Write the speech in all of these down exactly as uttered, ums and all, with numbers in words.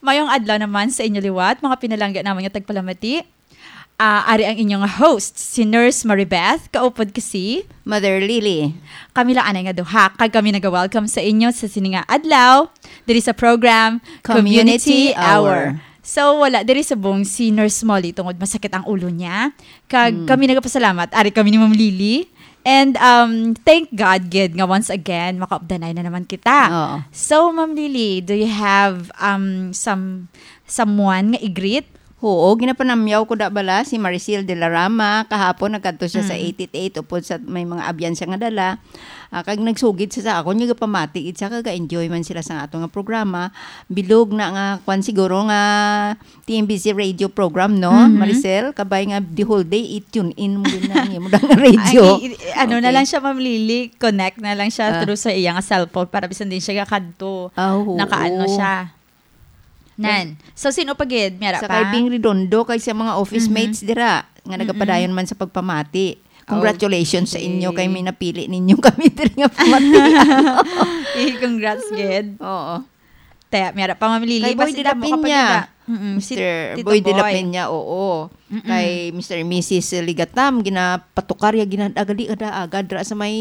Mayong adlaw naman sa inyo liwat, mga pinalangga namon nga tagpalamati. Ah, ari ang inyong host, si Nurse Maribeth, kaupod ko si Mother Lily. Kami lang anay nga duha, kag kami naga-welcome sa inyo sa sini nga adlaw, diri sa program Community Community Hour. Hour. So, wala diri subong si Nurse Molly tungod masakit ang ulo niya. Kag Hmm. kami nagapasalamat, ari kami ni Ma'am Lily. And, um, thank God, gid, nga once again, makaupdanay na naman kita. Oo. So, Ma'am Lily, do you have, um, some, someone nga i-greet? Oo, ginapanamyaw ko da bala si Maricel de la Rama. Kahapon, nagkadto siya sa Mm. eight eight eight, upod sa may mga abyan siya nga dala. Ah, kag nagsugid siya sa akon, nga gapamati gid siya, kag enjoy man sila sa ato nga programa. Bilog na nga, kwan siguro nga, T M B C radio program, no, Mhm. Maricel? Kabay nga the whole day, i-tune in mo din na ang imo nga radio. Ay, i-, i-, ano na Okay. lang siya, Ma'am Lily, connect na lang siya Ah. through sa iya nga cellphone para bisan din siya kakadto. Ah, oo. Nakaano siya. Nan. So, sino pa gid? Miyara Sa pa? Kay Bing Redondo, kay sa mga office Mhm. mates dira, nga Mhm. nagapadayon man sa pagpamati. Congratulations sa inyo, Okay. kay may napili ninyo kami diri nga pamati. Eh, congrats, gid. Oo. Te, miyara pa, Ma'am Lily, Kay Boy basta de la damo ka pa Peña. gid, ah. Mm-mm, si Mister Tito Boy de la Boy. Peña, oo. Mm-mm. Kay Mister and Missus Ligatam, ginapatukar ya, ginadagali kada agad ra sa may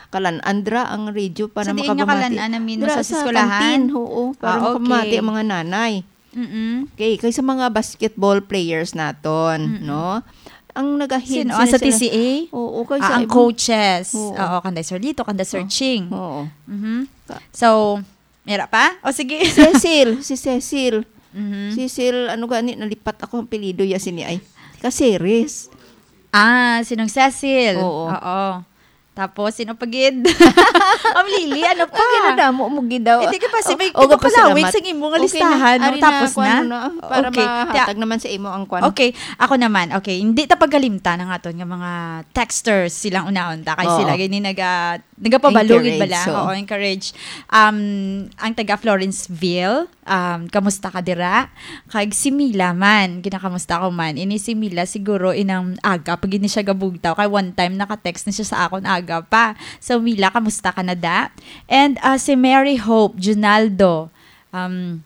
Kalan-an dra ang radio para Sa diin nga makabamati. Kalan-an, I mean, Dra sa sa eskwelahan? Canteen, oo, para Ah, makabamati okay. ang mga nanay. Mm-mm. Okay, kay sa mga basketball players naton, Mm-mm. no? Ang nagahead Sino? sila Ah, sa sila T C A? Oo, kay Ah, sa ang iba. coaches. Oo. Oo, kanday Sir Lito, kanday Sir Oo. Ching. Oo. Mhm. Ka- So, mira pa? O, sige. Cecil, si Cecil. Mhm. Cecil, ano gani, nalipat ako ang apelyido ya sini ay. Caceres. Ah, sinong Cecil? Oo. Oo. Tapos, sino pa gid? Ma'am Lily, ano pa? Ang ginadamo mo gid daw. Hindi ka pa, si O, may o, kapalawig gapasalamat. Sa imo nga Okay na. listahan, no? Ari na, Tapos kuwan na? mo na, para Okay. mahatag Tiya- naman sa imo ang kuwan. Okay, ako naman. Okay, hindi ta pagkalimtan ang aton nga mga texters, silang unahon ta, kay Oo. sila gini naga-, nagapabalo gid Encourage, bala. So. Oo, encourage. Um, ang taga Florenceville, um, kamusta ka dira? Kag si Mila man, ginakamusta ko man. Ini si Mila siguro inang aga pa gid ni siya gabugtaw. Kay one time naka-text na siya sa akon aga pa. So, Mila, kamusta ka na da? And, ah, si Mary Hope Junaldo, um,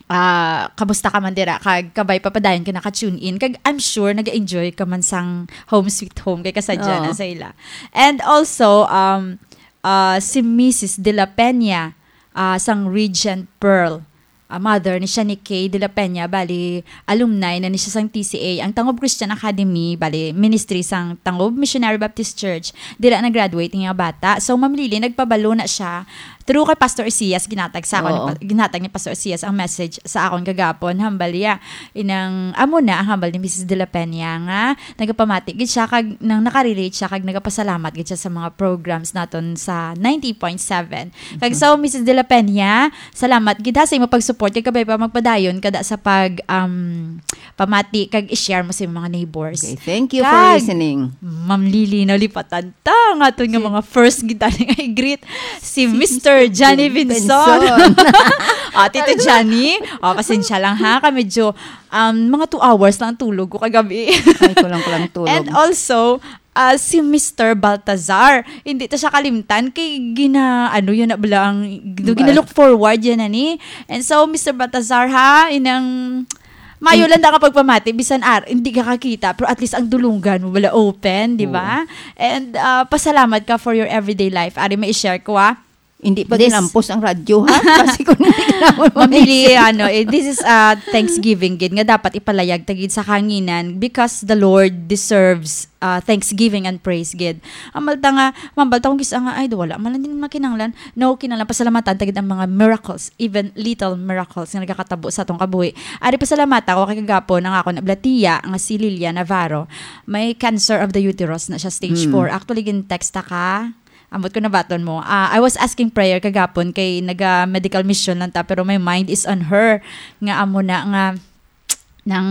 ah, kamusta ka man dira? Kag kabay pa padayon ka naka-tune in. Kag I'm sure nag-enjoy ka man sang Home Sweet Home kay kasadya Oo. na sa ila. And also, um, ah, si Missus De La Peña, ah, sang Regent Pearl. Ah, mother ni siya ni Kay De La Peña, bali, alumni na ni siya sang T C A, ang Tangob Christian Academy, bali, ministry sang Tangob Missionary Baptist Church. Dira na-graduate nga bata. So, Ma'am Lily, nagpabalo na siya through kay Pastor Isias, ginatag sa ako ni Oo. Pa-, ginatag ni Pastor Isias ang message sa akon kagapon. Hambal ya, inang, amo na ang hambal ni Missus De La Peña nga nagapamati gid siya kag nang nakarelate siya kag nagapasalamat gid siya sa mga programs naton sa ninety point seven. Kag Mhm. so, Missus De La Peña, salamat gid ha sa imo pag-support kag kabay pa magpadayon kada sa pag, um, pamati kag i-share mo sa imong mga neighbors. Okay, thank you for Kag, listening. Ma'am Lily, nalipatan ta nga aton nga Si mga first gid tani nga i-greet si Si Mister Mister Johnny Vin-, Vinson. Vinson. Ah, Tito Johnny, ah, pasensya lang ha, kay medyo, um, mga two hours lang ang tulog ko kagabi. Ay, kulang-kulang tulog. And also, ah, si Mister Baltazar, hindi ta siya kalimtan kay gina-, ano yun na bala ang, Ba- gina-look forward yan, ani. And so, Mister Baltazar, ha, inang mayo lang da ka pagpamati, bisan ar-, hindi ka kakita, pero at least ang dulunggan mo wala open, di ba? Oo. And, ah, pasalamat ka for your everyday life. Ari, may i-share ko, ah. Hindi pa This ginampos ang radyo, ha? Kasi kung hindi ka naman Ma'am Lily, may-, ano, eh, this is, ah, Thanksgiving gid nga dapat ipalayag ta gid sa kahanginan because the Lord deserves, ah, thanksgiving and praise gid. Ang balta nga, ma'am, balta kung kisa nga, ay, wala man lang din makinanglan. No, kinanglan pasalamatan ta gid ang mga miracles, even little miracles nga nagakatabo sa atong kabuhi. Ari, pasalamatan ko kay kagapon ang akon ablatiya nga si Lilia Navarro. May cancer of the uterus na siya, stage Mm. four. Actually, gin-text ta ka. Ambot ko nabaton mo. Ah, I was asking prayer kagapon kay naga medical mission lang ta, pero my mind is on her. Nga amo na nga, nang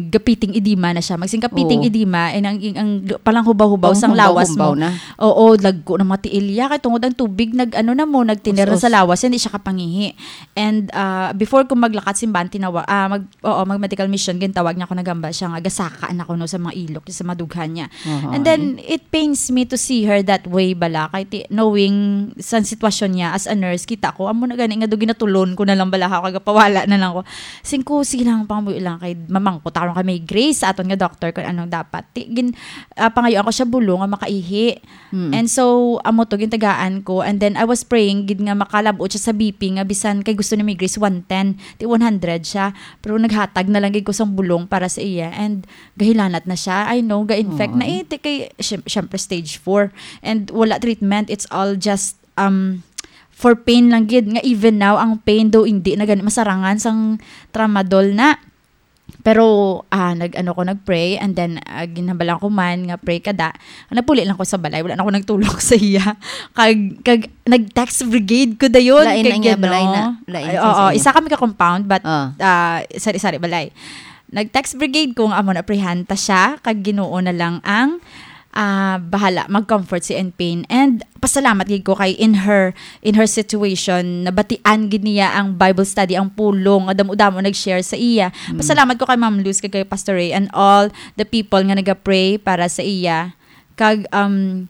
gapiting edema na siya. Magsing gapiting Oo. edema, eh, nang, ang, ang palanghubaw-hubaw sang lawas mo. Panghubaw-hubaw na. Oo, lagko ng mga tiil ya. Kay tungod ang tubig, nag, ano na mo, nagtiner na sa Us-us. lawas, hindi siya kapangihi. And, ah, before ko maglakat, simbahan, tinawa-, ah, mag, oo, mag medical mission, gintawag niya ako, nagambal siya nga, gasaka na ko, no, sa mga ilok, sa madughan niya. Aha, And then, eh. it pains me to see her that way bala. Kay ti-, knowing sa sitwasyon niya as a nurse, kita ko, amo na gani nga do ginatulon ko na lang bala ako, kagapawala na lang ko. Sing ko, sige lang, pangamuyo lang kay mamangkot ako kay Ma'am Grace, sa aton nga doctor, kung anong dapat. Ti, gin-, ah, pangayuan ko siya bulong nga makaihi. Mm. And so, amo to, gintagaan ko. And then, I was praying, gid nga makalabot siya sa B P, nga bisan kay gusto ni Ma'am Grace one ten, ti one hundred siya. Pero naghatag na lang gid ko sang bulong para sa iya. And gahilanat na siya. I know, ga-infect na Aw. eh. Ti kay, syem-, syempre, stage four. And wala treatment. It's all just, um, for pain lang gid. Nga even now, ang pain daw hindi na gani masarangan sang tramadol na. Pero, ah, nag-, ano ko, nag-pray, and then, ah, ginhambalan ko man nga pray ka da. Napuli lang ko sa balay, wala na ako nagtulog sa iya. Kag, kag nag-text brigade ko dayon, Lain kag ang iya balay na. ano. Lain Ay, sa oo, inyo. isa kami ka compound, but, Ah. ah, sari-sari balay. Nag-text brigade ko nga amo na, prayhan ta siya, kag Ginoo na lang ang, ah, bahala mag-comfort sa iyang pain. And pasalamat gid ko kay in her, in her situation, nabatian gid niya ang Bible study, ang pulong nga damo-damo nag-share sa iya. Mm. Pasalamat ko kay Ma'am Luz, kag kay Pastor Ray, and all the people nga naga-pray para sa iya. Kag, um,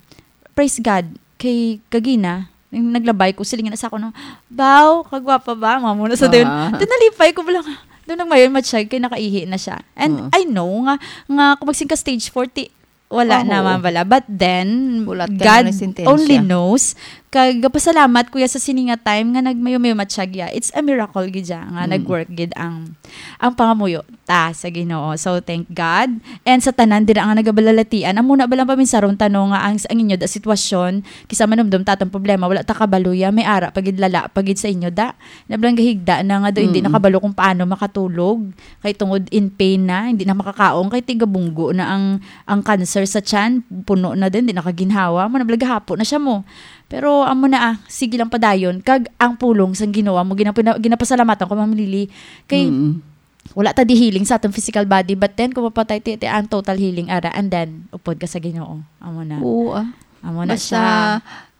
praise God, kay kagina, yung naglabay ko, siling na sa ako, no, "Baw, kagwapa ba?" Mga muna sa dayon. Ah. Then nalipay ko, bala nga, doon nagmayon matsyag kay nakaihi na siya. And Oo. I know nga, nga kung magsing ka stage four, ti, wala Oho. naman bala. But then, Hulat ka God na ng sentensya. only knows. Kag pasalamat ko ya sa sini nga time nga nagmayo-mayo matsyag ya. It's a miracle gid ya nga Mm. nag-work gid ang, ang pangamuyo ta sa Ginoo. So, thank God. And sa tanan dira nga nagabalalatian, amo na ba lang paminsaron ta, no, nga ang, ang inyo da sitwasyon, kisa manumdom ta atong problema, wala ta kabalo ya, may ara pa gid, lala pa gid sa inyo da. Nablang gahigda na nga do, hindi Mm. nakabalo kung paano makatulog. Kay tungod in pain na, hindi na makakaon, kay tigabunggo na ang, ang cancer sa tiyan, puno na din, hindi nakaginhawa, mo nablang gahapo na siya mo. Pero amo na, ah, sige lang padayon, kag ang pulong sang Ginoo mo, ginapina-, ginapasalamatan ko, Ma'am Lily, kay Mm. wala ta di healing sa atong physical body, but then kung mapatay ti, ti ang total healing ara, and then upod ka sa Ginoo. Amo na. Oo, ah. Amo na Basta, siya.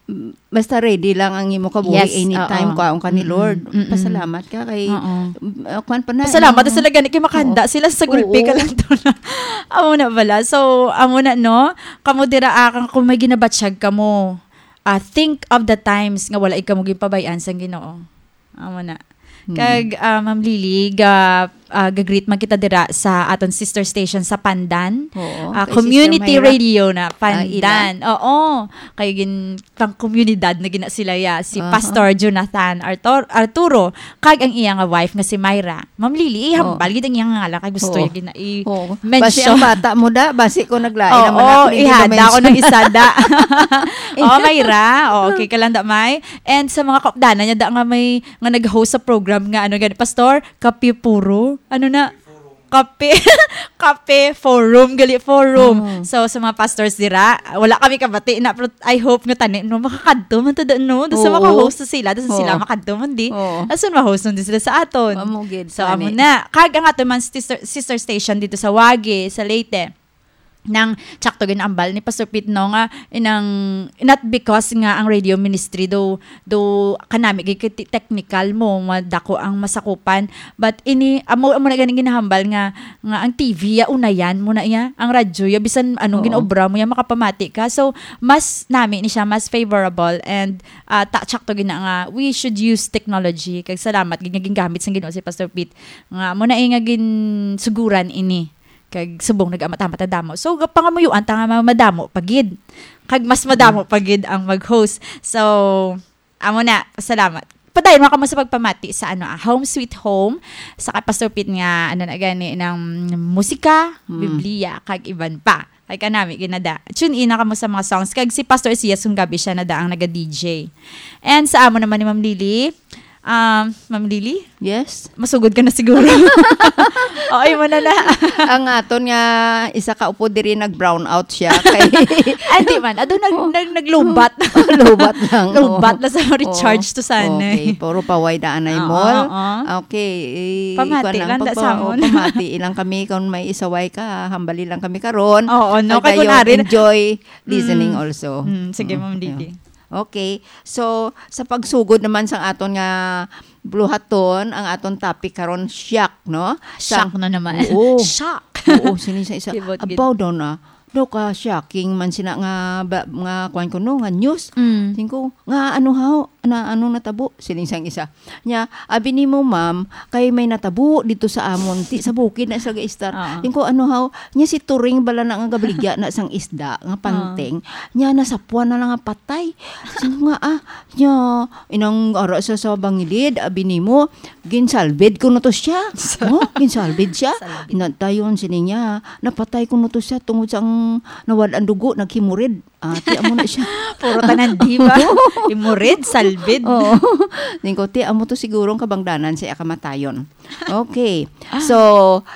mm, basta ready lang ang imo kabuhi Yes, anytime, oo. kwaon ka ni Mm-mm. Lord. Mm-mm. Pasalamat ka kay, Oo. mm, ah, kwan pa na, Pasalamat ano, sa sila gani kay makahanda oo. sila sa gulpi Oo. ka lang to na. Amo na bala. So, amo na, no? Kamo dira, ah, kang, kung may ginabatsyag kamo, ah, think of the times nga wala ikaw mo ginpabayaan sang Ginoo. Amo na. Hmm. Kag, ah, Ma'am Lily, ga, ah, ga-greet man kita dira sa aton sister station sa Pandan. Oo, Ah, kay Sister community Myra. radio na, Ah, ila. Pandan. Oo. Kay gin-, pang komunidad na gina sila ya. Si Aha. Pastor Jonathan Artur-, Arturo, kag ang iya nga wife nga si Myra. Ma'am Lily, Oo. ihambal gid ang iyang ngalan kay gusto Oo. ya gina-, i-, Oo. Basi mention. ang bata mo da, basi ko naglain Oo, naman ako, hindi ihada ko naman-mention. ng isada. Oh, Myra. Oh, okay ka lang da, May. And sa mga kaupdanan niya da nga may, nga nag-host sa program nga, ano gani, Pastor? Kape Puro? Ano na? Kape. Kape Forum, gali Forum. Oh. So, sa mga pastors dira, wala kami kabati na, pero I hope nga tani, no, makakadto man to, no? Doon sa Oo. maka-host na sila, doon sa sila Oo. makadto man di. Oo. Asan ma-host nun din sila sa aton? Amo gid, So, amo tani. na. Kag ang ato man sister, sister station dito sa Wagi, sa Leyte. Nang tsakto ginaambal ni Pastor Pete, no, nga inang, not because nga ang radio ministry do, do kanami gid kay ti-, technical mo, madako ang masakupan, but ini, amo, amo na ganing ginahambal nga, nga ang T V ya, unayan mo na iya, ang radyo ya, bisan anong Oo. ginobra mo ya, makapamati ka. So, mas nami ni siya, mas favorable, and, ah, ta-, tsakto gina nga, we should use technology. Kag salamat gid nga gingamit sang Ginoo si Pastor Pete. Nga, amo na, eh, nga ginsuguran ini. Kag subong nag-amat-amat ang damo. So, ga-, pangamuyuan ta nga ma-, madamo pa gid. Kag mas madamo Mm. pa gid ang mag-host. So, amo na, salamat. Padayon man kamo sa pagpamati sa, ano, ah, Home Sweet Home, sa kay Pastor Pete nga, ano na gani, ng musika, Mm. Biblia, kag iban pa. Kay kanami, ginada. Tune in na kamo sa mga songs. Kag si Pastor Isias kung gabi siya na da ang naga-D J. And sa amo naman ni Ma'am Lily, Um, Ma'am Lily? Yes? Masugod ka na siguro. Oo, imo na na. Ang aton nga isa ka upod diri nag-brown out siya. Kay Hindi man. Ado, nag-, nag-, naglubat. Lubat lang, oo. Lubat na sa recharge to sana. Okay, puro paway daan ay Oo, mall. Oo. Okay, eh, Pamati kuwan lang, lang, da pagpa-, sa amon. Oh, pamati lang kami kung may isaway ka, hambali lang kami karon. Oo, no, Kag kay kun dayon, ari na enjoy listening Mm. also. Mm, sige, Mm, Ma'am yeah. Lily. Okay. So, sa pagsugod naman sang aton nga buluhaton, ang aton topic karon, shock, no? Shock Sang na naman. Oo. Shock. Oo, sini sa isa. Kibot gid. Abaw daw na. Daw ka shocking man sina nga ba, nga kuwan ko, no, nga news. Mm. Tingko, nga ano haw, na ano natabo? Sining sang isa. Nya, abi nimo, ma'am, kay may natabo dito sa amon, ti sa bukid na sa gaistar. Oo. Tingko, ano haw, nya si Turing bala na nga gabaligya na sang isda, nga Ah. panting. Nya, nasapuan na lang nga patay. Tingko nga, ah, nya, inang ara sa, sa bangilid, abi nimo, ginsalbid ko na to siya. Sa- Oh, ginsalbid siya. Salbid. Natayon, sini niya, napatay ko na to siya tungod sa ang nawad ang dugo, naghimurid. Ah, ti amo na siya. Puro tanan, di ba? Imurid, salbid. Oo. Tingko, ti amo to siguro ang kabangdanan sa iya kamatayon. Okay. So,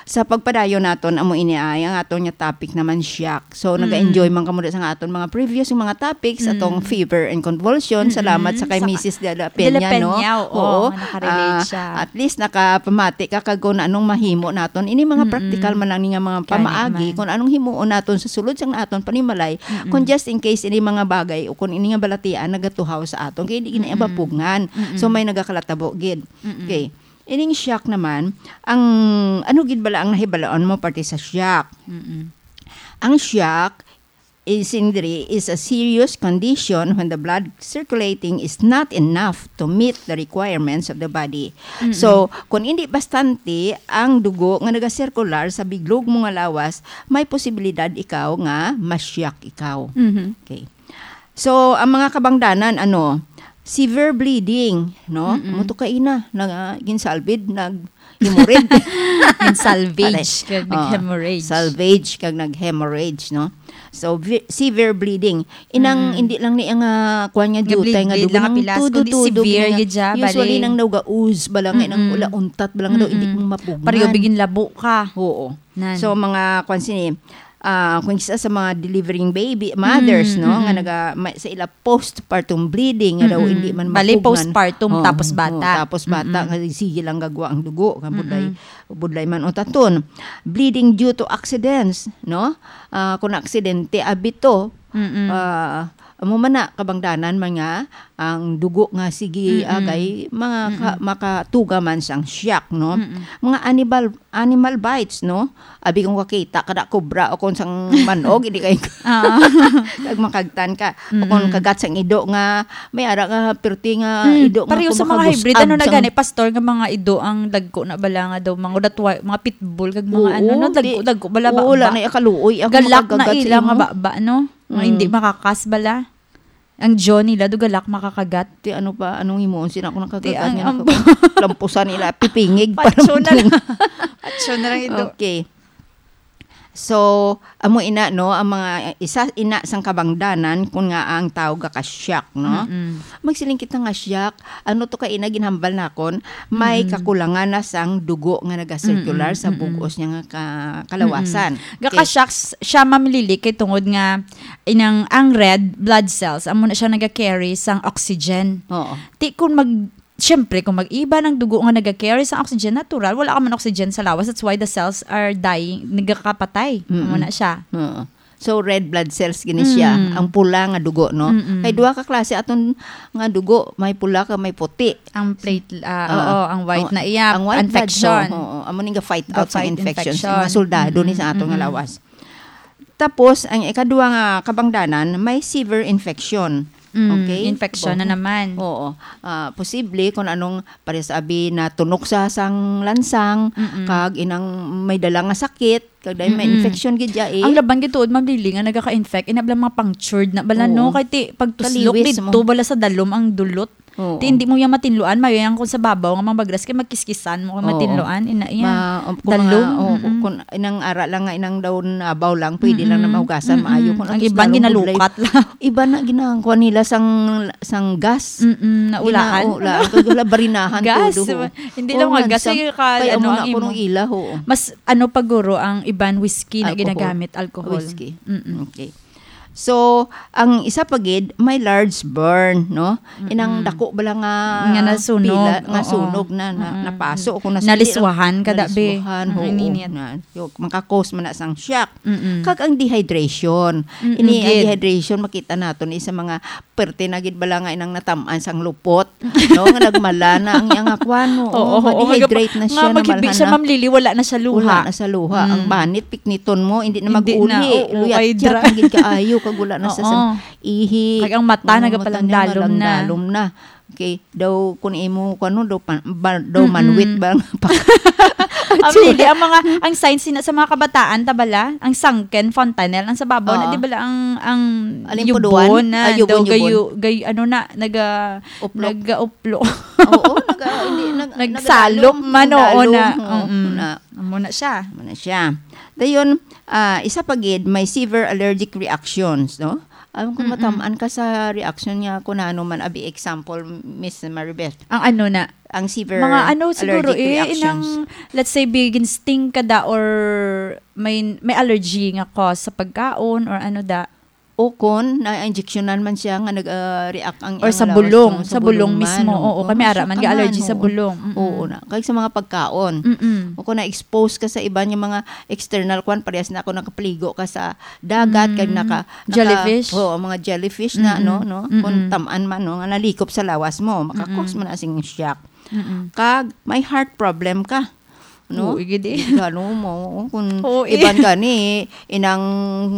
sa pagpadayon naton, amo ini ay ang aton nga topic naman, shock. So, Mm. nag-enjoy man kamo sa nga aton mga previous nga mga topics, atong Mm. fever and convulsion. Mm-mm. Salamat sa kay Sa Missus De La De La Peña, no? Peña, oo, Oo. nga nakarelate Ah, siya. At least nakapamati ka kag kung anong mahimo naton. Ini mga Mm-mm. practical man lang ni nga mga Gani pamaagi man. kung anong himuon naton sa sulod sang aton panimalay. Mm-mm. Kung just in case ini mga bagay o kung ini nga balatian nagatuhaw sa aton, kay di gina Mm-mm. mapugngan. Mm-mm. So, may nagakalatabo gid. Mm-mm. Okay. Ining shock naman, ang ano gid bala ang nahibaloan mo parte sa shock? Mm-mm. Ang shock is, sindri, is a serious condition when the blood circulating is not enough to meet the requirements of the body. Mm-mm. So, kung hindi bastante ang dugo nga nagasirkular sa biglog mo nga lawas, may posibilidad ikaw nga ma-shock ikaw. Mhm. Okay. So, ang mga kabangdanan, ano, severe bleeding, no? Mm-mm. Amo to kaina, nag, ah, ginsalbid, nag-hemorrhage. Ginsalvage, Pare. kag Oh, nag-hemorrhage. Salvage, kag nag-hemorrhage, no? So, ve-, severe bleeding. Inang Mm. hindi lang ni ang, ah, kuwan nga Nga jutay nga bleed-bleed dugo lang nang kapilas, tudo-tudo kundi severe gid nga. Gid siya, Usually, bali. nang nauga-ooze, bala nga, nang Mm-mm. ula untat, bala nga daw, hindi Mm-mm. mo mapugngan. Pareho bigin labo ka. Oo. Nan. So, mga, kwan sini, ah, kung isa sa mga delivering baby, mothers, Mm, no, nga mm. naga-, may, sa ila postpartum bleeding, nga daw Mm-mm. hindi man Bali, mapugngan. postpartum, Oo, tapos oo, bata. tapos bata, Mm-mm. nga sige lang gagwa ang dugo, nga budlay, Mm-mm. budlay man o taton. Bleeding due to accidents, no? Ah, kung aksidente, abito, Mm-mm. ah, amo man na, kabangdanan man nga, ang dugo nga sige Mm-mm. agay, mga ka-, Mm-mm. makatuga man sang shock, no? Mm-mm. Mga animal, animal bites, no? Abi kung kakita ka na kobra o kung sang manog, hindi kayo Ah. kag makagtan ka. O kung Mm-mm. kagat sang ido nga, may ara nga pirti nga Mm, ido nga pareho sa mga kumakabusag hybrid. Ano na sang gani, Pastor, nga mga ido ang dagko na bala nga daw, mga, that's why, mga pitbull, kag mga Oo, ano, no? Dagko, di-, dagko bala, oo, baba. Wala na yung kaluoy. Ako Galak na makagat sa ila nga imo. Baba, no? Nga Mm. hindi makakas bala. Ang jaw nila, do galak makakagat. Ti ano pa, anong himuon? Sina ako Ti nakagat ang, niya, ang naka-, lampusan nila, pipingig pa Patso na lang. lang. Patso na lang ito. Okay. So, amo ina, no, ang mga isa ina sang kabangdanan kung nga ang tao gaka-shock, no? Mm-mm. Magsiling kita nga shock, ano to ka ina ginhambal nakon, may Mm-mm. kakulangan na sang dugo nga nagacircular Mm-mm, sa mm-mm. bug-os niya nga ka-, kalawasan. Mm-mm. Okay. Gaka-shock s-, siya, Ma'am Lily, kay tungod nga inang, ang red blood cells, amo na siya naga-carry sang oxygen. Oo. Ti kung mag-, Siyempre, kung mag-iba ng dugo nga naga-carry sa oxygen, natural, wala ka man oxygen sa lawas. That's why the cells are dying, nagkakapatay. Mm-mm. Amo na siya. Oo. So, red blood cells gini siya. Mm. Ang pula nga dugo, no? Mm-mm. Kay duha ka klase aton nga dugo, may pula ka, may puti. Ang plate, ah, Oo. oo, ang white Ang, na iya, ang white blood, infection. Oo, oo. Amo ning ga-fight out sa Ga-fight infection. infection. Mga soldado ni sa aton nga Mm-mm. lawas. Tapos, ang ikadua nga kabangdanan, may severe infection. Mm, Okay? infection na Oo. naman. Oo. Ah, posible kung anong pares abi na tunok sa sang lansang, Mm-mm. kag inang may dala nga sakit, kag dahil may Mm-mm. infection gid ya eh. Ang laban gid tuod, Ma'am Lily, nga nagaka-infect, ina bala mga punctured na bala, no? Oo. Kay ti, pagtuslok Kaliwis dito, mo. bala sa dalom ang dulot. Oo. Ti hindi mo yang matinluan, mayo yang kung sa babaw nga mabagras kay magkiskisan mo kung Oo. matinluan, ina iya. Ma-, um, kung Dalom, mga, oh, mm-mm. kung inang ara lang nga inang daw nabaw lang, pwede lang na Mm-mm. mahugasan, Mm-mm. maayo. Kung Ang at least iban lalong ginalukat lang. Iba na ginangkuan nila sang, sang gas. Mm-mm, naulaan. Ginaula, kag wala barinahan Gas. todo, ho. Hindi Oo, lang mga nga, gas, sa-, eh, ka-, kaya ano, mo ang na kuno imo. Ila, ho. Mas, ano pa, guro, ang iban whiskey na Alcohol. ginagamit, alcohol. Whiskey. Mm-mm. Okay. So, ang isa pa gid, may large burn, no? Inang Mm-mm. dako bala nga Nga nasunog, pila, nga oo. sunog na, na, Mm-mm. napaso, kung nas-, Naliswahan ka, dabi. Naliswahan, Ang oo, ininit. na, yo, maka-cause man na sang shock. Mm-mm. Kag ang dehydration. Mm-mm, Ini, ang gid. dehydration, makita nato ni sa mga perte na gid bala nga inang natam-an sang lupot, no? Nga nagmala na ang iyang akwan, no? Oo, Oo, oo, nga dehydrate na siya, nga maghibi namalhan siya, na. Ma'am Lily, wala na siya luha. Wala na sa luha. Ang Mm. banit, pikniton mo, hindi na Hindi mag-uli. na, oo, Luyat-yat ay dra-, ang gid kaayo, kag wala na sa Oo. sang ihi. Kag ang mata, Oo, nagapalandalom mata niya, na. malandalom na. Okay, daw, kung imo, kung ano, daw, pan-, ba, daw Mm-mm. manwit ba? Ang Actually, lili, ang mga, ang signs sina sa mga kabataan, tabala, ang sunken fontanelle, ang sa babaw na, Oo. di bala, ang, ang Aling yubon puduan? na, Ah, yubon, daw, yubon. gayu-, gay-, ano na, naga-, Uplok. nag-uplo. Oo, naga-, hindi, nag-, Nagsalop nagadalom, man, oo nagdalom, na. oo, Mm-mm. na. Amo na siya. Amo na siya. Dayon, ah, isa pa gid, may severe allergic reactions, no? Alam ko, Mm-mm. matamaan ka sa reaction niya kung ano man, abi example, Miss Maribeth. Ang ano na? Ang severe Mga ano siguro allergic eh, reactions. inang, let's say, bigin sting ka da or may, may allergy nga cause sa pagkaon or ano da. O kon na-injectionan man siya nga nag, ah, react ang Or iyang sa lawas, bulong, no, sa sa bulong bulong man, mismo. oo. Oo, kami Mas ara man siya ka man, ga-allergy sa oo. bulong. Mm-mm. Oo na. Kag sa mga pagkaon. Mm-mm. O kung na-expose ka sa iban nga mga external kwan, parehas na ako nakapaligo ka sa dagat, kag Mm. naka-, naka-, Jellyfish? oo, mga jellyfish na, Mm-mm. no, no? Kung Mm-mm. tam-an man, no, nga nalikop sa lawas mo, maka-cause Mm-mm. man na sing shock. Mm-mm. Kag may heart problem ka, no? Oo, igid eh. Gano mo, kung Oo, eh. iban gani, inang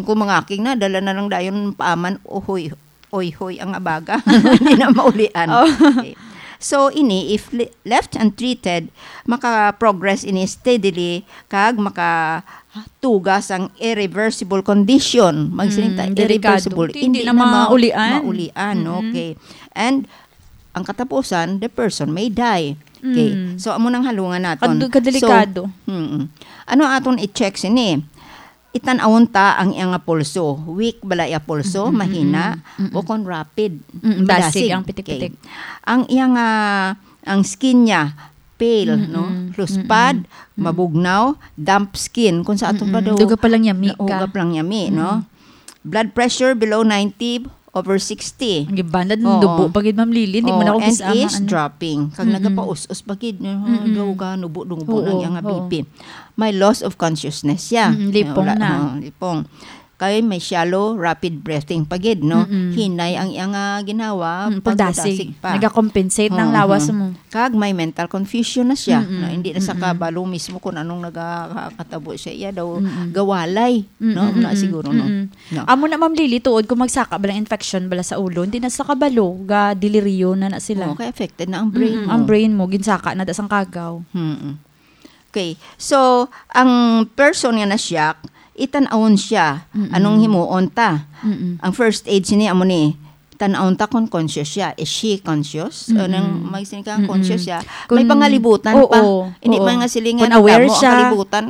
kumangaking na, dala na lang dayon paaman, uhoy, oyhoy ang abaga. Hindi na maulian. Oh. Okay. So, ini, if le-, left untreated, maka-progress ini steadily, kag makatuga sang irreversible condition. Magsiling ta, Mm, delikado. irreversible. Hindi Hindi na na ma-, maulian. maulian, Mm-mm. okay. And, ang katapusan, the person may die. Okay. Mm. So, amo nang halungan naton. Kad-, kadelikado. So, mm-mm. Ano aton i-check sini? Itan-awon ta ang iyang nga pulso. Weak bala iya pulso, Mm-mm, mahina, mm-mm. o kon rapid, Mm-mm, madasig. Dasig ang pitik-pitik. Okay. Ang iyang, ah, ang skin niya, pale, Mm-mm, no? Luspad, mm-mm, mm. mabugnaw, damp skin. Kung sa aton pa Mm-mm. daw, Duga pa lang yami ka. Duga pa lang yami, no? Mm-mm. Blood pressure below ninety over sixty. Ang iban na, Oo. dubo pa gid, Ma'am Lily. Hindi mo Oo, na ako and kisama, is ano. dropping. Kag Mm-mm. nagapaus-os pa gid, no? Mm-mm. Daw ka, nubo-nubo Oo, ng iyang oo. B P. May loss of consciousness siya. Mm-mm, lipong Wala, na. oh, lipong. Kay may shallow, rapid breathing pa gid, no? Mm-mm. Hinay ang iyang, ah, ginawa, Mm, pag pagdasig. madasig pa. Nagakompensate ng Oo, lawas oo. mo. Kag may mental confusion na siya, Mm-mm. no? Hindi na sa Mm-mm. kabalo mismo kung anong nagakatabo siya. Iya daw Mm-mm. gawalay, no? Mm-mm, Muna mm-mm. siguro, no? Mm-mm. No. Amo na, Ma'am Lily, tuod kung magsaka bala infection bala sa ulo, hindi na sa kabalo, ga deliryo na na sila. Oo, kay affected na ang brain Mm-mm, mo. ang brain mo, ginsaka na da sang kagaw. Mm-mm. Okay. So, ang person nga na-shock, itan-awon siya. Mm-mm. Anong himuon ta? Mm-mm. Ang first aid sini amo ni, tan-awon ta kung conscious siya. Is she conscious? Mm-mm. Anong magsiling ka, Mm-mm. conscious siya? Kung May pangalibutan oo, pa. Hindi oo. pa nga silingan Kung aware tamo ang siya. kalibutan.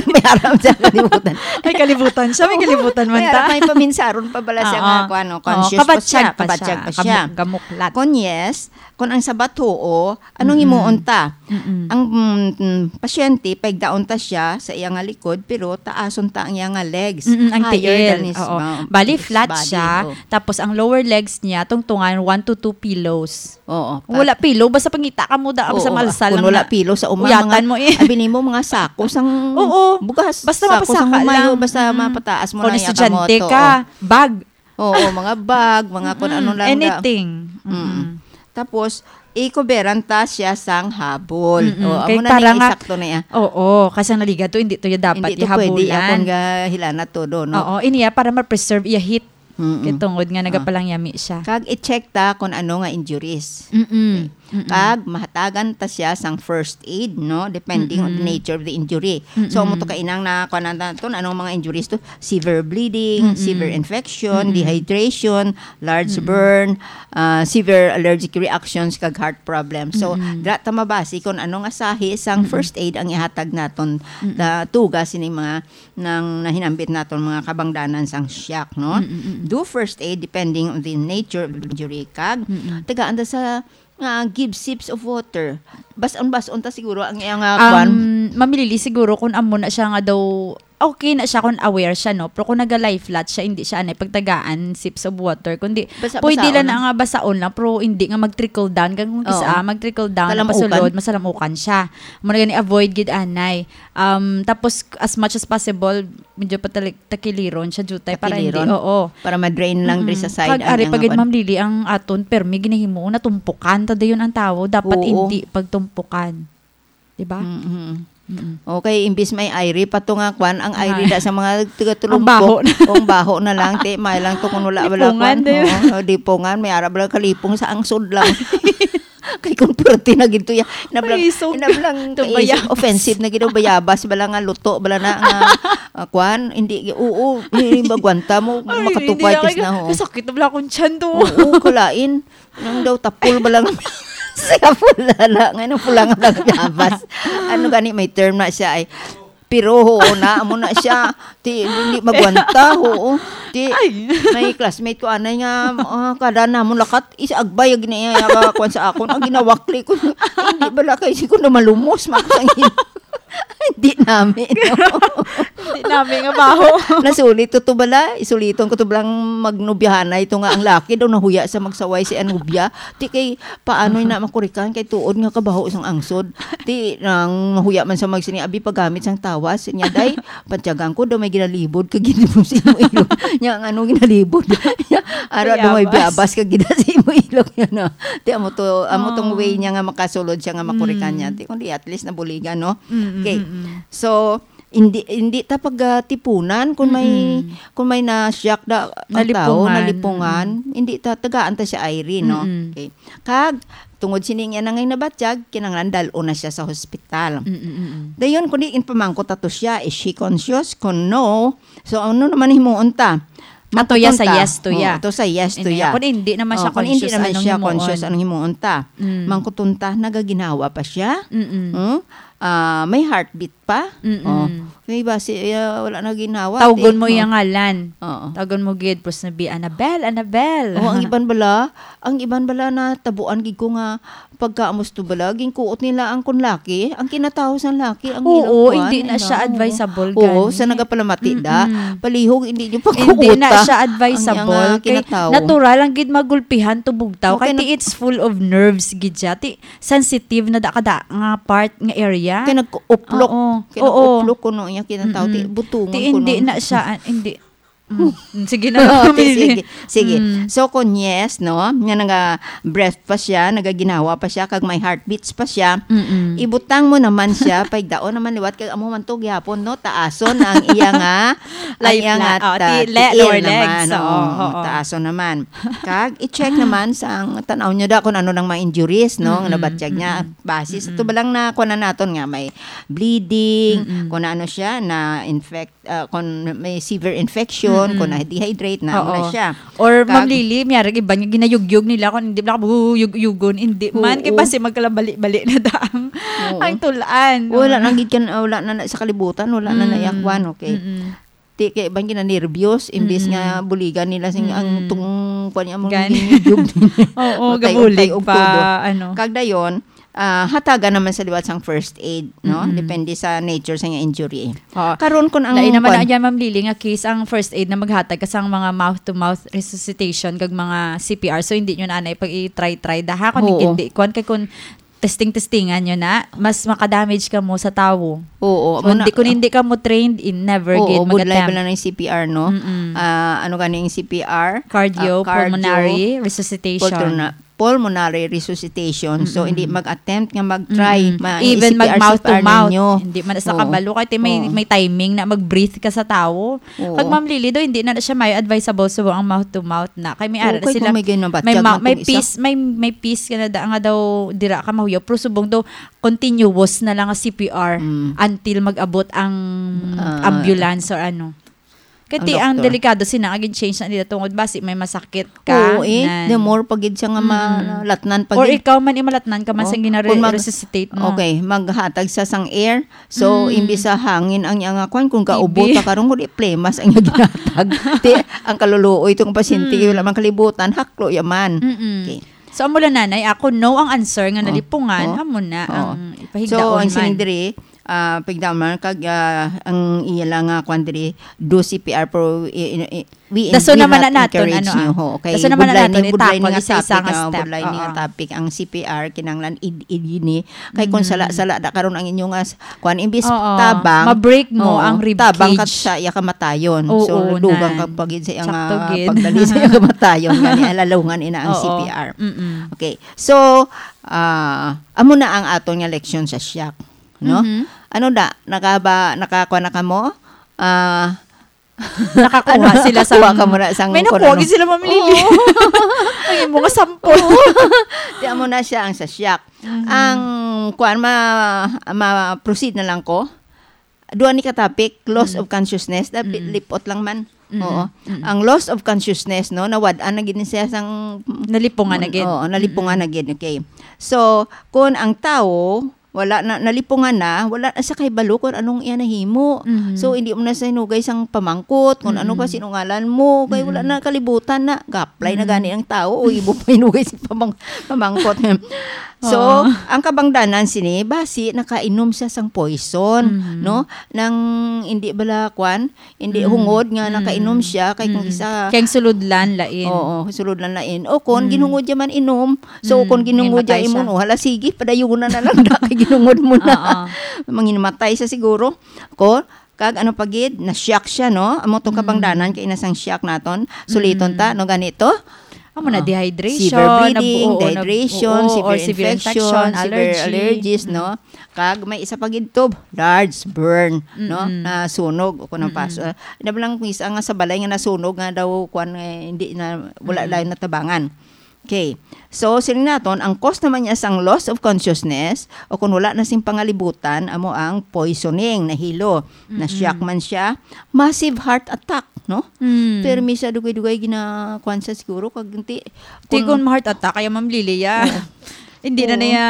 May aram siya kalibutan. May kalibutan siya, may Oo. kalibutan man May ta. aram, may paminsaron pa bala siya Oo. nga, kuwan, no, Oo, conscious pa siya, kabatyag pa siya. kabatyag pa siya. Kamu-, kamuklat. Kung yes, kung ang sabat huo, anong Mm-mm. himuon ta? Mm-mm. Ang, mm, mm, pasyente, paigdaon ta siya sa iya nga likod, pero taason ta ang iya nga legs. Mm-mm, ang Higher tiil. than his, Oo. uh, Bali, his flat body. siya, Oh. tapos ang lower legs niya, tungtungan one to two pillows. Oo, Kung wala pat- pillow, basta pangita ka mo da, basta Oo, malsal kung lang wala na. pillow sa uma, Uyatan mga, mo eh. abi nimo, mga sako sang Oo. bugas. Basta Sako sang mapasaka humay, lang. oh, basta Mm. mapataas mo Kung na iya estudyante kamot, ka, oo. bag. Oo, mga bag, mga kung Mm, ano lang da. anything. Mm. Mm-mm. Tapos, ikuberan ta siya sang habol. Mm-mm. Oo, Kay amo na para ning nga, isakto na iya. oo, kasi ang naliga to, hindi to ya dapat Hindi to pwede ihabulan. akong gahilana todo, no? Oo, iniya para ma-preserve iya heat. Mm-mm. Kay tungod nga Ah. nagapalangyami siya. Kag i-check ta kung ano nga injuries. Mm-mm. Okay. Mm-mm. Kag mahatagan ta siya sang first aid, no, depending on the Mm-mm. nature of the injury. So, amo to Mm-mm. kainang na, kuwan naton, anong mga injuries to? Severe bleeding, Mm-mm. severe infection, Mm-mm. dehydration, large Mm-mm. burn, ah, severe allergic reactions, kag heart problems. So, Mm-mm. dira ta mabasi kung ano nga sahi sang Mm-mm. first aid ang ihatag naton Mm-mm. na tuga sining mga nang nahinambit naton mga kabangdanan sang shock, no? Mm-mm, mm-mm. Do first aid depending on the nature of the injury, kag Mm-mm. tagaan ta sa nga give sips of water. Bas-on, bas-on ta siguro ang iyang, ah, kwan. Um, Ma'am Lily, siguro kung amo na siya nga daw, okay na siya kung aware siya, no? Pero kung naga-lie flat siya, hindi siya anay pagtagaan sips of water. Kundi, Basa-, pwede lang basaon. na nga basaon lang, pero hindi nga mag-trickle down. Kaya kung Oo. isa, ah, mag-trickle down, Kalamukan. pasulod, masalamukan siya. Muna gani, avoid gid anay. Um, tapos, as much as possible, medyo patali-, takiliron siya, jutay, para hindi, Takiliron. oo. Para ma-drain lang diri sa Mm-mm. side Kag ang ari iyang pa gid, kwan. Ma'am Lily, ang aton permi ginahimo, natumpukan ta dayon ang tawo. Dapat Oo. hindi pagtumpukan. Di ba? Mm-mm. Mm-mm. Okay, imbis may irie pa to nga kwan, ang irie Ay. da sa mga taga-tulumpok, Ang baho na. o ang baho na lang, ti, may lang to kung wala, wala Lipungan kwan. din. Oo, o, lipungan, may ara bala kalipong sa angsod lang. Kay kung perte na gid to ya, inablang, Ay, so, inablang to kay baya-, offensive na gid ang bayabas, bala nga luto, bala na nga, ah, kwan, hindi, oo, hindi magwanta mo, Ay, makatupa, hindi tis ako, na, ho. Kasakit na bala akong tiyan to. Oo, kalain. Nang daw tapol bala nga, siya pula na, nga nang pula nga bayabas. Ano gani, may term na siya ay, pero, oo na, amo na siya. Ti, hindi magwanta, oo. Ti, Ay. may classmate ko, anay nga, ah, kada namon lakat, is agbay, ang gini-, ah, kuwan sa akon, ang ginawakli ko. Hindi bala kay si ko na malumos, makusang hin-, hindi namin, no? Hindi namin nga baho. Nasulit to, to bala, isuliton ko to balang magnubyahanay to nga ang laki daw nahuya sa magsaway si anubya. Ti kay, paanoy na makurikan kay tuod nga kabaho sang angsod. Ti, nang mahuya man sa magsini, abi pagamit sang tawas. Nya, day, pantyagan ko daw may ginalibod ka gid mo sa imo ilong. Nya, ang ano ginalibod? Nya, ara daw may Bayabas. bayabas ka gid sa imo ilong. Nya, no? Ti, amo to, amo tong Oh. way niya nga makasulod siya nga makurikan niya. Mm. Ti, kundi at least nabuligan, no? Mm, mm, Okay. mm, mm. So, hindi, hindi ta pagtipunan kung may, Mm-mm. kung may na-shock na ang tao, Nalipungan. nalipungan, Mm-mm. hindi ta, tagaan ta siya irie, no? Mm-mm. Okay. Kag, tungod sining iya na ngay nabatyag, kinahanglan dal-on na siya sa hospital. Mm, mm, mm. Dayon, kundi ginpamangkot ato siya, is she conscious? Kung no, so ano naman himuon ta? Ato ya sa Mangkuton ta. yes to Oh, ya. ato sa yes to Hindi, ya. kung hindi naman Oh, siya kung hindi conscious, naman anong siya himuon? conscious, anong himuon ta? Mm. Mangkuton ta, nagaginawa pa siya? Mm-mm. Hmm? Ah, may heartbeat pa? Mm-mm. Oh, may basi, eh, wala na ginawa, Tawgon ti. mo Oh. iyang ngalan. Oo. Tawgon mo gid, pros na bi, "Annabel, Annabel." Oh, ang iban bala, ang iban bala na tabuan gid ko nga pagkaamos to bala, ginkuot nila ang kun laki, ang kinatawo sang laki, ang Oo, ilang kuan, hindi na siya ano, advisable oo, gani. sa nagapalamati da. Mm-mm. Palihog, hindi nyo Hindi na pagkuuta siya ang advisable. iyang, ah, Kay kinatawo. natural lang gid magulpihan to bugtaw. Okay, Kay ti nag- it's full of nerves gid siya. Ti sensitive na da kada nga part nga area. Kay nag-uplok. Oo. Kay Oo. nag-uplok kuno iya kinatawo. Ti Mm-mm. butungon Ti hindi kuno. na siya, ah, hindi. Mm. Sige na, Ti Ma'am Lily. sige. Sige. Mm. So, kung yes, no, nga naga-breath pa siya, nagaginawa pa siya, kag may heartbeats pa siya, Mm-mm. ibutang mo naman siya, paigdaon naman liwat, kag amo man to gihapon, no, taason ang iya nga, ang Life iya nga la-, oh, ta-, ti-, le-, tiil lower naman, legs. Oo, Oo, oo. taason naman. Kag i-check naman sa ang tanaw niyo da kung ano nang mga injuries, no, nga Mm-mm, nabatyag niya. mm-mm. Base sa Mm-mm. tubalang na kuha na naton nga may bleeding, Mm-mm. kung ano siya, na infect, ah, kung may severe infection, Mm-mm. kung na-dehydrate, na ano na Oo. siya. Or, Kag Ma'am Lily, may arag iban nga ginayugyog nila kung hindi bala ka yug-yugon, hindi man, kay Oo. basi magkalabali-bali na da ang, Oo. ang tulaan, no? Wala na gid kan-, wala na, na sa kalibutan, wala na Mm. naiakwan, okay. Mm-mm. Ti kay iban ginanerbyos, imbis nga Mm. buligan nila sing ang Mm. tung-, kuwan niya, mong Gan-, ginigyog din. Oo, Patay, gabulig untay, og pa, tubo. ano. Kag dayon, ah, hatagan naman sa liwat sang first aid, no? Mm-mm. Depende sa nature sa nga injury. Oo. Karon, kung ang Lain naman kuwan na yan, Ma'am Lily, nga case ang first aid na maghatag ka sang mga mouth-to-mouth resuscitation kag mga C P R. So, hindi nyo na anay pag i-try-try da, ha? Kung Oo. hindi, kuwan kay kung testing-testingan nyo na, mas makadamage ka mo sa tawo. Oo, So, muna, hindi, kung hindi ka mo trained, in never Oo, gid budlay mag-attempt. bala ng C P R, no? Mm-mm. Ah, ano gani yung C P R? Cardio, Ah, cardio, pulmonary resuscitation. pultona-, pulmonary resuscitation. So, Mm-mm. hindi mag-attempt nga mag-try, Mm-mm. ma-, Even i-C P R, mag mouth to C P R mouth. ninyo. Hindi man sa Oo. kabalo. Kaya may, Oo. may timing na mag-breathe ka sa tao. Oo. Kag, Ma'am Lily, do, hindi na siya may advisable subong ang mouth to mouth na. Kay may ara Okay, sila, kung may ginabatsyag may ma-, man may tong isa. piece, may, may piece ka na da, nga daw dira ka mahuyaw. Pero subong daw, continuous na lang ang C P R Mm. until mag-abot ang Ah. ambulance or ano. Kay Ang ti ang doktor. delikado sina nga gin-change na nila tungod basi may masakit ka. Oo, eh. Nan. The more pa gid siya nga Mm. malatnan pa Or gid. ikaw man, imalatnan ka man Oh, sang gina-, kung mag-, resuscitate mo. okay, maghatag siya sang air. So, Mm. imbis sa hangin ang iyang kuwan, kung T B. kaubo ta karon, kung di plemas ang iyang ginatag. Ti, ang kaluluoy itong pasyente, Mm. wala man kalibutan, haklo yaman. Mm-mm. Okay. So, amo lang, nanay, ako, no ang answer nga Oh. nalipungan, Oh. amo na Oh. ang So, ipahigaon ang man. sining diri, ah, pigdaman kag, ah, ang iya lang nga kwan diri, do C P R, pero i-, i-, i-, we, Daso we naman not na naton, encourage ano, you, ah. ho, okay? Daso naman na Budlay naton, ni, budlay ni itakol nga isa-isa topic, nga ah, step, budlay ni nga oo. topic, ang C P R, kinahanglan id-, id-, ini. Kay kung Mm. sala-sala da karon ang inyong as-, kwan, imbis Oo. tabang, Ma-break mo oo, ang rib tabang kat cage. sa iya kamatayon. So, Oo, dugang na. ka pa gid sa iya nga Sakto gid. pagdali sa iya kamatayon, gani, alalungan ina ang Oo. C P R. Mm-mm. Okay. So, ah, amo na ang aton nga leksyon sa shock, no? Mhm. Ano da? Nakaba-, nakakuha na kamo? Ah, Nakakuha ano? sila sa Kuha ka muna sang May kuno, nakuha no? gid sila, Ma'am Lily. Oo. Ang imo nga sample. Oo. Di amo na siya ang sa shock. Mhm. Ang kuan, ma-, ma-proceed na lang ko. Duha ni ka topic, loss Mm. of consciousness, da-, Mm. lipot lang man. Mm. Oo. Mm. Ang loss of consciousness, no, nawad-an na gid ni siya sang Nalipungan na gid. Oo, nalipungan Mm. na gid. Okay. So, kung ang tao, wala na, nalipungan na, wala na siya kahibalo kung anong iya nahimo. Mhm. So, hindi mo na siya hinugay sang pamangkot, kung ano pa, Mm. sino ngalan mo, kay wala Mm. na kalibutan na. Ga-apply na Mm. gani ang tao, o imo pa hinugay sa pamang-, pamangkot. So, Oo. ang kabangdanan sini, basi nakainom siya sang poison, Mhm. no? Nang hindi bala, kwan, hindi Mm. hungod nga Mm. nakainom siya, kay kung Mm. isa Kay ang sulodlan, lain. Oo, sulodlan, lain. O kung Mm. ginhungod niya man inom, so Mm. kung ginhungod niya Namatay inom, siya. o hala, sige, padayunan na lang na kay ginhungod mo na. Oo. Manginamatay siya siguro. Ko, kag ano pa gid, na-shock siya, no? Amo tong Mm. kabangdanan kay ina sang shock naton. Suliton ta, Mm. no, ganito? Amo na, Oh. dehydration, Severe bleeding, nabu-, oo, nab-, dehydration, oo, severe or severe infection, infection, severe allergy. allergies, Mm. no? Kag may isa pa gid to, large burn, no? Mm-mm. Na sunog o kung ang Mm-mm. pas-, ah, ina ba lang kung isa nga sa balay nga nasunog nga daw, kwan, eh, hindi na, wala Mm-mm. lang natabangan. Okay. So, siling naton, ang cause naman niya sang loss of consciousness o kung wala na sing pangalibutan, amo ang poisoning, nahilo, na-shock Mm-mm. man siya, massive heart attack, no? Mm. Pero may siya dugay-dugay gina-, kwan siya siguro, kag ti-, Ti kung kung heart attack, kaya, Ma'am Lily, ya. Oo. Hindi na Oo. niya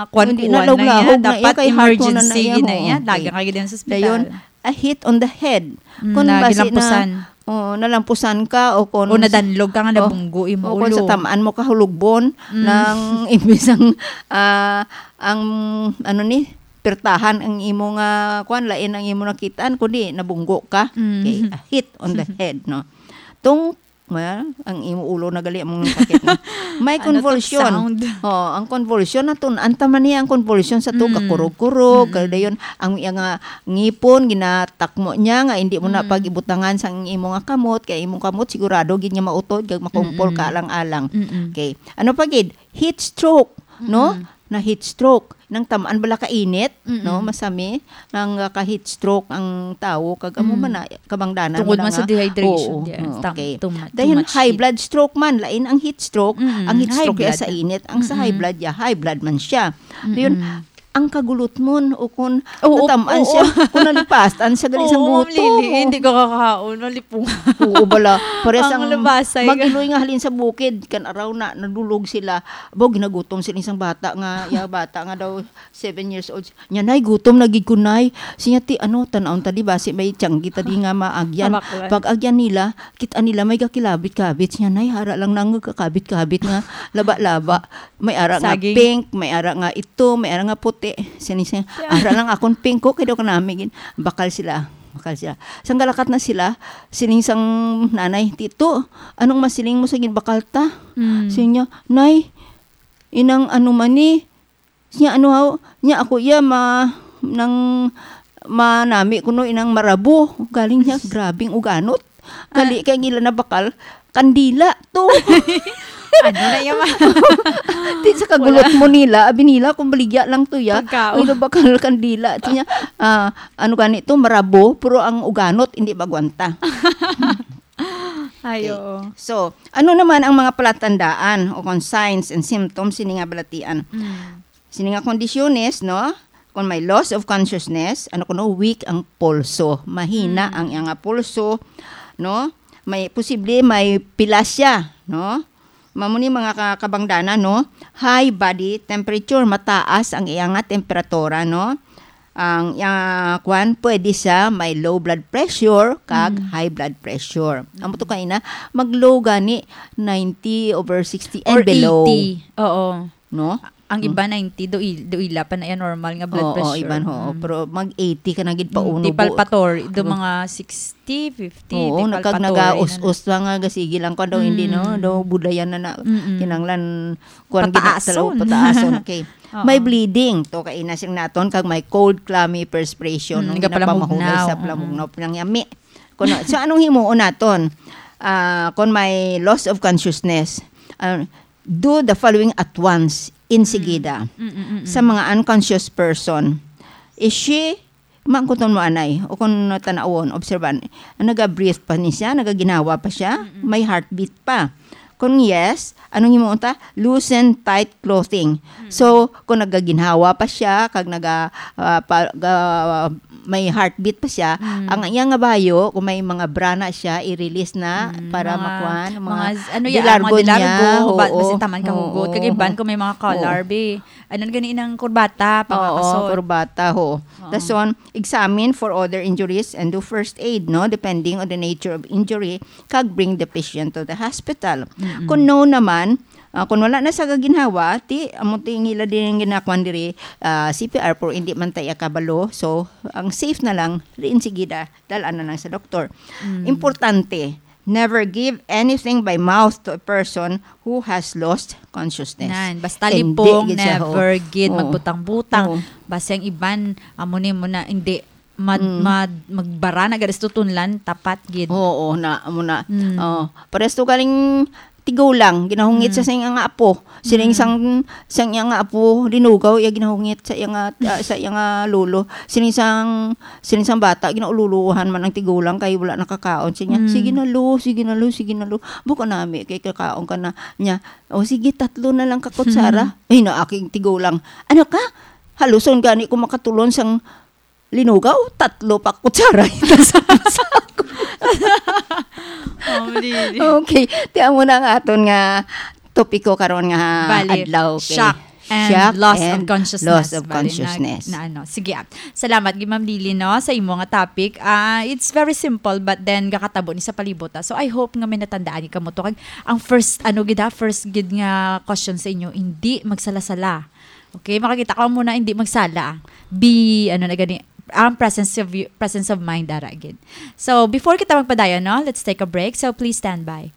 kwan-kuwan Hindi na, na lahog-lahog niya. na iya, Dapat kay heart mo na na emergency iya, gid na ho. iya. Okay. Dagan ka gid sa ospital. Dayon, a hit on the head. Mm, Kung na basi na, gilampusan. oo, nalampusan ka o kung O nadanlog ka nga o, nabunggo imo o kung sa ulo. tamaan mo ka hulugbon Mm. ng imbis ang, ah, ang, ano ni, pirtahan ang imo nga, kwan, lain ang imo nakitaan, kundi nabunggo ka. Mm. Okay, a hit on the head, no? Tung Well, ang imo ulo na gali ang sakit, no? May Ano to convulsion. sound? Oh, ang convulsion, natun-an ta man niya ang convulsion sa to, Mm. kakurog-kurog, Mm. kaya dayon, ang iya nga ngipon, ginatakmo niya nga hindi mo na Mm. pag-ibutangan sa imo nga kamot, kay imong kamot sigurado gid nga mautod, kag makumpol Mm-mm. ka alang-alang. Mm-mm. Okay. Ano pa gid? Heat stroke, no? Mm-mm. Na heat stroke. Nang tamaan bala ka init, Mm-mm. no? Masami, nang, uh, ka heat stroke ang tawo, kag amo Mm. man na, kabangdanan Tungod mo na man sa nga. dehydration, Oo, yeah. oo, Tam-, okay. too mu-, too Dayon, much high heat. blood stroke man, lain ang heat stroke. Mm-mm. Ang heat High stroke ya blood. sa init, ang sa high Mm-mm. blood ya, high blood man siya. Dayon, Mm-mm. ang kagulot mo, o kung Oo, natamaan oo. siya, kung nalipasan siya gali sa Oo, Ma'am gutom, Lily, oh. hindi ka kakaon, nalipong. Oo, bala. Pares Ang ang labasay. mag-iloy nga halin sa bukid, kan araw na, nadulog sila. Abo, ginagutom sila isang bata nga, ya, bata nga daw, seven years old. Nya, "Nay, gutom na gid ko, Nay." Siya, ti, ano, tan-awon ta di ba, si may tiyanggi ta di nga maagyan. Kamaklan. Pag-agyan nila, kita nila may kakilabit-kabit. Siya, "Nay, hara lang na nga kakabit-kabit nga laba-laba. May ara nga Saging. pink, may ara nga ito, may ara nga puti." Sini siya, Yeah. "Ara lang akon pink ko, kay daw kanami gid." Bakal sila. Bakal sila. Sang galakat na sila, sining sang nanay, "Tito, anong masiling mo sa ginbakal ta?" Mm. Siya niya, "Nay, inang ano man ni?" Siya, "Ano haw?" Niya, "Ako iya ma-, nang manami kuno inang marabo." Galing niya, grabing uganot. Gali Ah. kay ang ila na bakal, kandila to. Ano na yung... Di sa kagulot mo nila, abi nila kung baligya lang to ya. Pagkaon. Ano ba kal kandila? Ti niya, ah, ano gani to, marabo, pero ang uganot, hindi magwanta. Ay, okay. Oo. So, ano naman ang mga palatandaan o kung signs and symptoms sini nga balatian? Mm. Sini nga kondisyones, no? Kung may loss of consciousness, ano kuno, weak ang pulso, mahina Mm. ang iyang pulso, no? May posible may pilasya, no? Mamo ni mga ka-, kabangdanan, no? High body temperature, mataas ang iyang temperatura, no? Ang iyang, ah, kwan, pwede siya may low blood pressure kag Mm. high blood pressure. Amo to kaina, mag-low gani ninety over sixty and Or below. eighty. Oo. No? Ang Hmm. iba ninety, do il-, do ila pa na yan normal nga blood Oo, pressure. Iban, oo. Mm. Pero mag eighty ka na gid pa Mm, uno di palpatory, do mga sixty, fifty, Oo, di nagkag palpatory na na. Nagaus-us lang nga, gasigi lang ko daw, hindi, no? Mm. Daw budayan na na, Mm-mm. kinanglan, kuwan, Pataason. Ginatalaw, pataason. Okay. Oo. May bleeding, to kaina sing naton, kag may cold, clammy perspiration, Mm, nung nga ginapamahulay palamugnaw. Sa Mm-mm. Palamugnaw, pinangyami. Kuno, so, anong himuon naton? Ah, kung may loss of consciousness, ah, do the following at once, insigida. Mm. Mm, mm, mm, mm. Sa mga unconscious person, is she, maangkuton mo anay, o kung tanawon, obserban, naga-breathe pa ni siya, nagaginhawa pa siya, Mm, mm. May heartbeat pa. Kung yes, anong himuon ta? Loosen tight clothing. Mm. So, kung nagaginhawa pa siya, kag naga, ah, pa, ga, may heartbeat pa siya, Mm. ang iya nga bayo, kung may mga bra na siya, i-release na Mm, para mga, makuan, mga mga z-, ano yan, mga dilargon niya. Dilargo, ba-, Oo. Basin taman kahugot. Oo. Kag iban kung may mga Oo. Collar, be. Ano gani nang kurbata, Oo, pangakasot. Kurbata, ho. Oo. Dason, examine for other injuries and do first aid, no? Depending on the nature of injury, kag bring the patient to the hospital. Mm-mm. Kung no naman, ah, kung wala na sa gaginhawa, ti, amo ti ngila din ang ginakuan diri, ah, C P R, pero hindi man tayo kabalo. So, ang safe na lang, diin sigida, dal-an na lang sa doktor. Mm. Importante, never give anything by mouth to a person who has lost consciousness. Nan, basta Hindi lipong, gid siya, ho. Never gid Oo. Magbutang-butang. Oo. Basta ang iban, amo ni mo na, hindi, mad-, Mm. mad-, magbara na, garis tutunlan, tapat gid. Oo, na, amo na. Mm. Oo. Pares to galing tigulang, ginahungit sa Mm. sing nga apo. Sining Mm. sang, sang iya nga apo, linugaw, iya ginahungit sa iya nga, ah, sa iya nga lolo. Sining sang, sining sang bata, ginaululuhan man ang tigulang kay wala nakakaon. Siya niya, Mm. "Sige na, lo, sige na, lo, sige na, lo. Buka nami, kay kakaon ka na." Niya, "O, sige, tatlo na lang ka kutsara." Mm. Ay, na aking tigulang, "Ano ka? Haluson gani ko makatulon sang linugaw, tatlo pa kutsara ito sa, sa ako." Oh, dili. Okay, ti amo na ang aton nga topiko karon nga Bali, adlaw, okay? Shock and Shock loss of and consciousness. Loss of Bali, consciousness. Na, na ano. Sige, ah. Salamat gid, Ma'am Lily, no, sa imo nga topic. Ah, it's very simple, but then gakatabo ni sa palibot, ah. So, I hope nga may natandaan gid kamo to. Kag ang first, ano gid, ah, first gid nga question sa inyo, hindi magsala-sala. Okay, makakita ko muna, hindi magsala. Be, ano na gani, ang presence of y-, presence of mind, dara gid. So, before kita magpadayon, no, let's take a break. So, please stand by.